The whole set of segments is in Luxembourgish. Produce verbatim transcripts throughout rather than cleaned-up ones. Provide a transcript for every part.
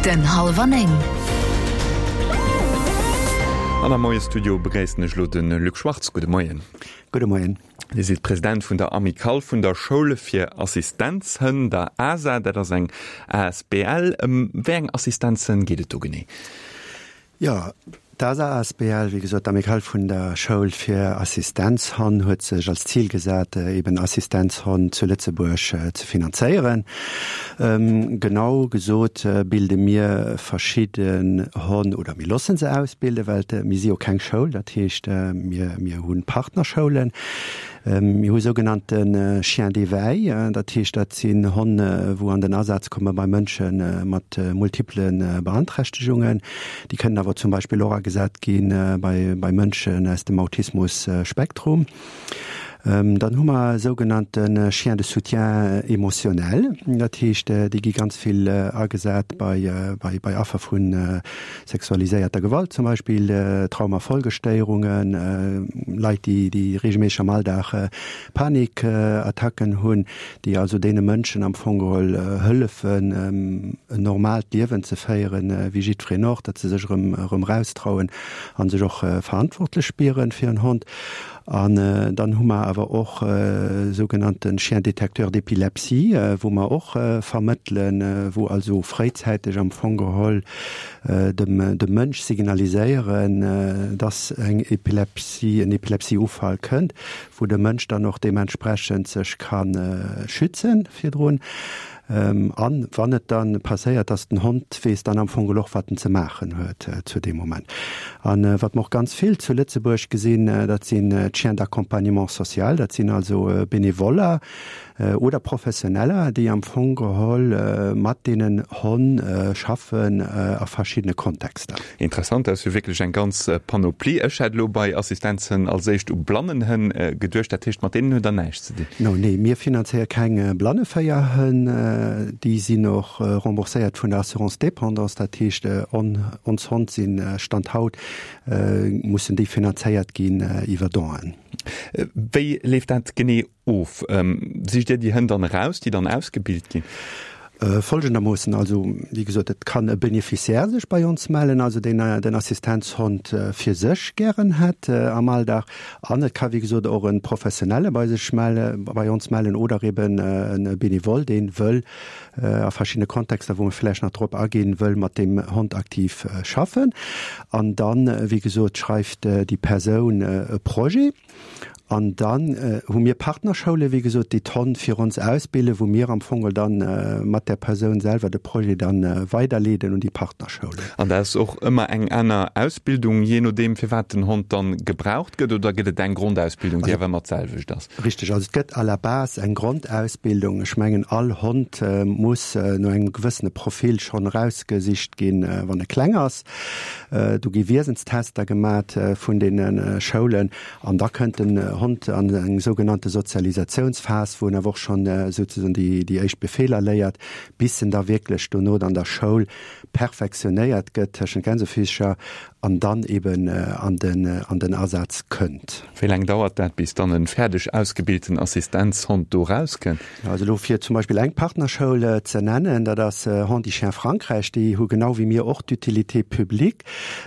Den Hallwer Néng. An am Moie-Studio begréissen ech elo de Luc Schwartz. Gudde Moien. Gudde Moien. Dir sidd President vun der Amicale vun der Schoul fir Assistenzhënn, der ASA. Dat ass eng asbl. Ëm wéi eng Assistenzhënn geet et do genee? Jo, d'ASA asbl, wéi gesot, d'Amicale vun der Schoul fir Assistenzhonn, huet sech als Zil gesat, eben Assistenzhonn zu Lëtzebuerg ze finanzéieren. Genau gesot bilde mir verschidden Honn, oder mir loosse se ausbilden, well mir si jo keng Schoul, dat heescht, mir, mir hu Partnerschoulen. Mir hu sougenannte Chiens d'éveil, dat heescht, dat sinn Honn, wou an den Asaz komme bei Mënsche mat multipele Beanträchtegungen. Déi kënnen awer zum Beispill och agesat gi bei Mënschen aus dem Autismus-Spektrum. Dann hu mer sougenannte Chiens de soutien émotionnel, dat heescht, déi gi ganz vill agesat bei Affer vu sexualiséierter Gewalt zum Beispill, Traumafolgestéierungen, Leit, déi reegelméisseg am Alldag Panikattacken hunn, déi also deene Mënschen am Fong geholl hëllefen, en normaalt Liewen ze féieren, wéi jiddwereen och, datt se sech erëm eraustrauen a sech och verantwortlech spieren fir en Hond. An dann hu mer awer och sougenannte Chiens détecteurs d'épilepsie, wou mer och vermëttelen, wou also fréizäiteg am Fong geholl dem Mënsch signaliséieren, dass eng Epilepsie, en Epilepsieufall kënnt, wou de Mënsch dann och deementsprechend sech ka schützen virdrun. An wann et dann passéiert, dass den Hond weess dann am Fong geholl och, wat en ze maachen huet zu deem Moment. An wat mer och ganz vill zu Lëtzebuerg gesinn, dat sinn d'Chiens d'accompagnement social, dat sinn also Benevoller oder Professioneller, déi am Fong geholl mat deenen Honn schaffen a verschiddene Kontexter. Interessant, dat ass jo wierklech eng ganz Panoplie. Ech hätt elo bei Assistenzhënn als éischt u Blannenhënn geduecht, dat heescht, mat deenen hutt Der näischt ze dinn? No, nee, mir finanzéiere keng Blanneféierhënn. Déi sinn och rembourséiert vun der Assurance dépendance, dat heescht, ons Honn sinn, Stand haut, mussen déi finanzéiert ginn iwwer Donen. Wéi leeft dat genee of? Sicht Dir déi Hënn dann eraus, déi dann ausgebilt ginn? Folgendermoossen, also wéi gesot, et kann e Beneficiaire sech bei ons mellen, also deen den Assistenzhond fir sech gären hätt am Alldag. An et ka wéi gesot och e Professionelle bei sech melle, bei ons mellen oder eben e Benevole, dee wëll a verschiddene Kontexter, wou mer vläicht nach drop aginn, wëll mat deem Hond aktiv schaffen. An dann, wéi gesot, schreift déi Persoun e Projet. An dann hu mir Partnerschoule, wéi gesot, déi d'Honn fir ons ausbilden, wou mir am Fong dann mat där Persoun selwer de Projet dann weiderleeden un déi Partnerschoulen. An dat ass och ëmmer eng aner Ausbildung, jee nodeem, firwat den Hond dann gebraucht gëtt, oder gëtt et eng Grondausbildung, déi awer ëmmer d'selwecht ass? Richteg, also et gëtt à la base eng Grondausbildung. Ech mengen, all Hond muss no engem gewëssene Profil schonn erausgesicht ginn, wann e kleng ass. Do gi Wiesenstester gemat vun deene Schoulen an da kënnt den Hond an eng sougenannte Sozialisatiounsphas, wou en awer och schonn souzesoen déi déi éischt Befeeler léiert, bis en da wierklech dono an der Schoul perfektionéiert gëtt tëschent Gänsefischer an dann eben an den an den Asaz kënnt. Wéi laang dauert dat, bis dann e fäerdeg ausgebilten Assistenzhond do rauskënnt? Also elo fir zum Beispill eng Partnerschoul ze nennen, dat ass Handi'Chiens Frankräich, déi hu genau wéi mir och d'Utilité publique.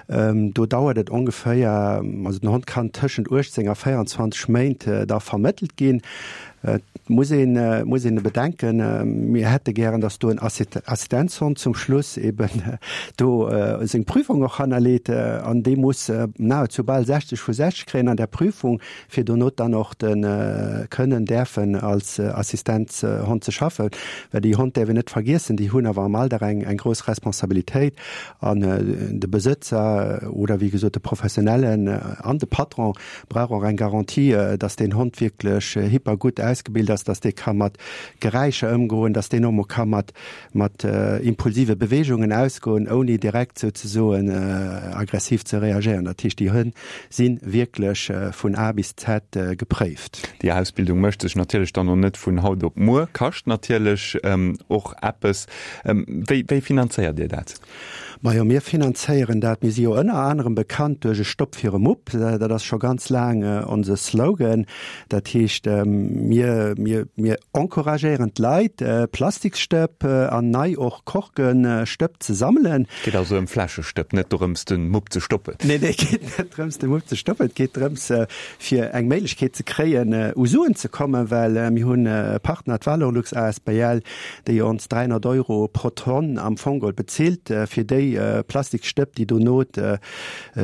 Do dauert et ongeféier, also den Hond kann tëschent uechtzéng a véierundzwanzeg Méint da vermëttelt ginn. Et muss een, muss een bedenken, mir hätte gären, datt do en Assistenzhond zum Schluss eben do seng Prüfung och hannerleet an dee muss nahezu bal sechzeg vu sechzeg kréien an där Prüfung, fir dono dann och de kënnen däerfen als Assistenzhond ze schaffen. Well déi Hond däerf een net vergiessen, déi hunn awer am Alldag eng, eng grouss Responsabilitéit an de Besëtzer oder wéi gesot de Professionellen an de Patron brauch och eng Garantie, dass deen Hond wierklech hyper gutt ausgebilt ass, dass dee ka mat Geräischer ëmgoen, dass deen och mol ka mat mat impulsive Beweegungen ausgoen, ouni direkt souzesoen aggressiv ze reagéieren. Dat heescht, déi Hënn si wierklech vun A bis Z gepréift. Déi Ausbildung mécht sech natierlech dann och net vun haut op muer, kascht natierlech och eppes. Wéi wéi finanzéiert Dir dat? Majo, mir finanzéieren dat. Mir si jo ënner anerem bekannt duerch e Stopp fir e Mupp. Dat ass scho ganz laang onse Slogan. Dat heescht, mir, mir, mir encouragéieren d'Leit, Plastiksstëpp an nei och Korkestëpp ze sammelen. Et geet also ëm Fläschestëpp, net dorëms, de Mupp ze stoppen? Nee, nee, et geet net drëms, de Mupp ze stoppen. Et geet drëms, fir eng Méiglechkeet ze kréien, u Suen ze kommen, well mir hunn e Partner, d'Valorlux asbl, déi ons dräihonnert Euro pro Tonn am Fong geholl bezilt, fir déi Plastikstëpp, déi dono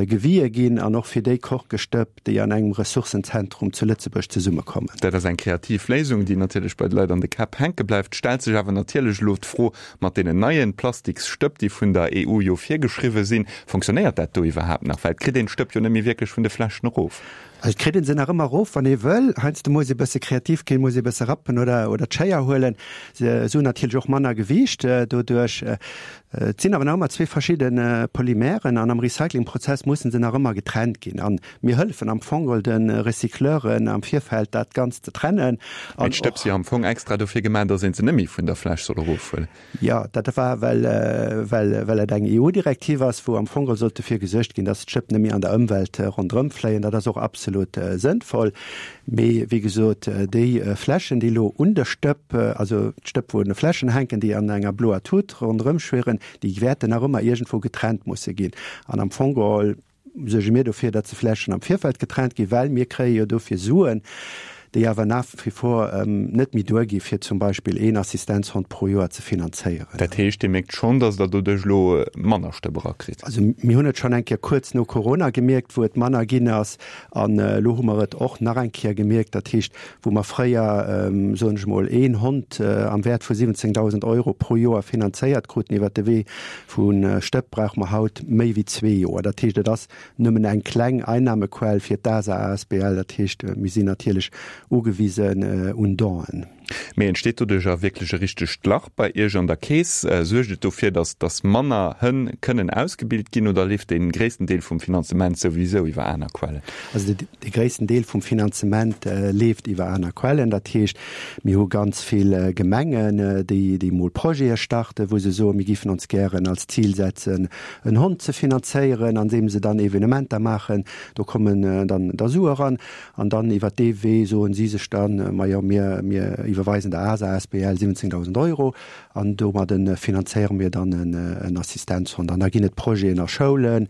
gewie ginn, an och fir déi Korkestëpp, déi an engem Ressourcenzentrum zu Lëtzebuerg zesummekommen. Dat ass eng kreativ Léisung, déi natierlech bei de Leit an de Käpp hänke bleift. Stellt sech awer natierlech elo d'Fro, mat deenen neie Plastiksstëpp, déi vun der E U jo virgeschriwwe sinn, fonctionnéiert dat do iwwerhaapt nach? Well et kritt een d'Stëpp jo net méi wierklech vun de Fläschen erof. Also et kritt een se nach ëmmer erof, wann ee wëll. Heiansdo muss ee bësse kreativ ginn, muss ee bësse rappen oder oder d'Schéier huelen. Se hunn natierlech och manner Gewiicht doduerch. Et sinn awer nach ëmmer zwee verschidde Polymeren an am Recyclingprozess mussen se nach ëmmer getrennt ginn. A mir hëllefen am Fong geholl de Recycleuren am Virfeld dat Ganzt ze trennen. Mee d'Stëpp si jo am Fong extra dofir gemaach, datt een se net méi vun der Fläsch soll erofhuelen. Jo, dat war well well well et eng E U-Direktiv ass, wou am Fong geholl sollt dofir gesuergt ginn, datt d'Stëpp net méi an der Ëmwelt ronderëm fléien. Dat ass och absolut sënnvoll. Mee wéi gesot, déi Fläschen, déi elo un de Stëpp, also d'Stëpp wou un de Fläschen hänken, déi an enger bloer Tut ronderëm schwirren, déi wäerten nach ëmmer iergendwou getrennt musse ginn. An am Fong geholl suerge mir dofir, datt se Fläschen am Virfeld getrennt ginn, well mir kréie jo dofir Suen, déi awer nach wie vor net méi duergi fir zum Beispill een Assistenzhond pro Joer ze finanzéieren. Dat heescht, Dir mierkt schonn, datt Der doduerch elo manner Stëpp erakritt? Also mir hunn et schonn eng Kéier kuerz no Corona gemierkt, wou et manner ginn ass. An elo hu mer et och nach eng Kéier gemierkt. Dat heescht, wou mer fréier, soen ech emol, een Hond am Wäert vu siwwenzéngdausend Euro pro Joer finanzéiert kruten iwwert de Wee vu Stëpp, brauche mer haut méi wéi zwee Joer. Dat heescht, et ass nëmmen eng kleng Einnahmequell fir d'ASA asbl. Dat heescht, mir sinn natierlech ugewisen un Donen. Mee entsteet doduerch a wierklech e richtegt Lach bei Iech an der Keess? Suergt et dofir, datt datt manner Hënn kënnen ausgebilt ginn oder leeft dee gréissten Deel vum Finanzement souwisou iwwer aner Quellen? Also dee gréissten Deel vum Finanzement leeft iwwer aner Quellen. Dat heescht, mir hu ganz vill Gemengen, déi déi mol Projete starten, wou se soen, mir géifen ons gären als Zil setzen, en Hond ze finanzéieren, andeem se dann Evenementer maachen. Do kommen dann da Sue eran an dann iwwer dee Wee soen si sech dann, majo, mir mir iwwerweisen der ASA asbl siwwenzéngdausend Euro an domadde finanzéiere mir dann en Assistenzhond. An da ginn et Projeten a Schoulen,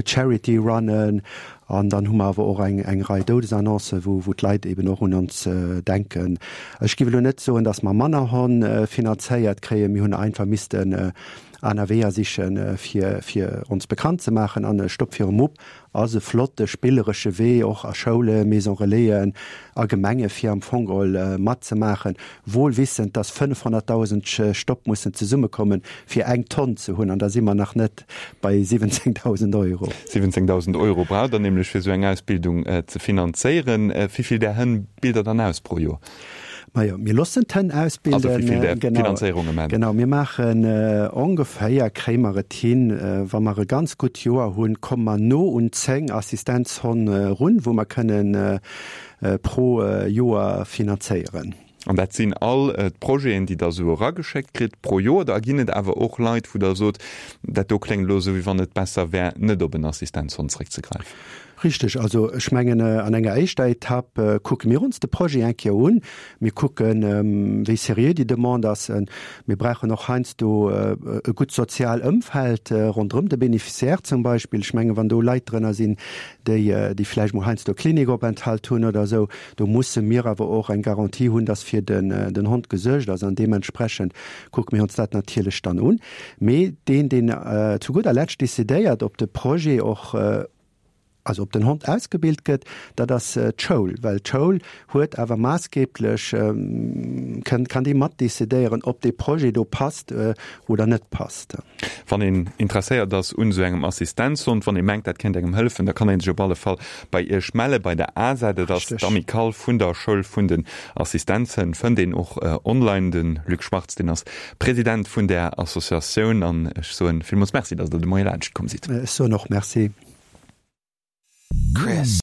Charity Runnen an dann hu mer awer och eng eng Rei Doudesannoncen, wou wou d'Leit eben och un ons denken. Ech géif elo net soen, datt mer manner Honn finanzéiert kréien. Mir hunn einfach missten aner Weeër sichen, fir fir ons bekannt ze maachen an e Stopp fir e Mupp ass e flotte spilleresche Wee och a Schoulen, Maison Relaisen a Gemenge fir am Fong geholl matzemaachen, wohl wissend, dass fënnefhonnertdausend Stopp mussen zesummekommen, fir eng Tonn ze hunn, an da si mer nach net bei siwwenzéngdausend Euro. Siwwenzéngdausend Euro braucht Der nämlech, fir esou eng Ausbildung ze finanzéieren. Wéi vill där Hënn bilt Der dann aus pro Joer? Majo, mir loossen d'Hënn ausbilden. Also wéi vill där Genau, Finanzéierung um Enn? genau. Mir maachen ongeféier, kréie mer et hin, wa mer e ganz gutt Joer hunn, komme mer no un zéng Assistenzhonn erun, wou mer kënnen pro Joer finanzéieren. An dat sinn all d'Projeten, déi Der esou erageschéckt kritt pro Joer? Oder ginn et awer och Leit, wou Der sot, dat do kléngt elo esou, wéi wann et besser wär, net op en Assistenzhond zréckzegräifen? Richteg. Also ech mengen, an enger éischter Etapp kucke mir ons de Projet eng Kéier un. Mir kucken, wéi seriö déi Demande ass. Mir brauchen och heiansdo e gutt sozial Ëmfeld ronderëm de Bénéficiaire zum Beispill. Ech mengen, wann do Leit drënner sinn, déi, déi vläicht mol heiansdo e Klinikopenthalt hunn oder esou, do musse mir awer och eng Garantie hunn, dass fir den, den Hond gesuergt ass. An deementsprechend kucke mir ons dat natierlech dann un. Mee deen, deen zu gudder Lescht decidéiert, ob de Projet och, also ob den Hond ausgebilt gëtt, dat ass d'Schoul, well d'Schoul huet awer maassgeblech, kënn, kann déi mat decidéieren, ob dee Projet do passt oder net passt. Wann een interesséiert ass un esou engem Assistenzhond, wann ee mengt, dat kéint engem hëllefen, da kann ee sech op alle Fall bei Iech melle bei der ASA. Dat ass d'Amicale vun der Schoul vun den Assistenzhënn, fënnt een och online. De Luc Schwartz, deen ass President vun där Associatioun an ech soen villmools Merci, datt Der de Moie laanscht komm sidd. Ech soen och Merci. Chris.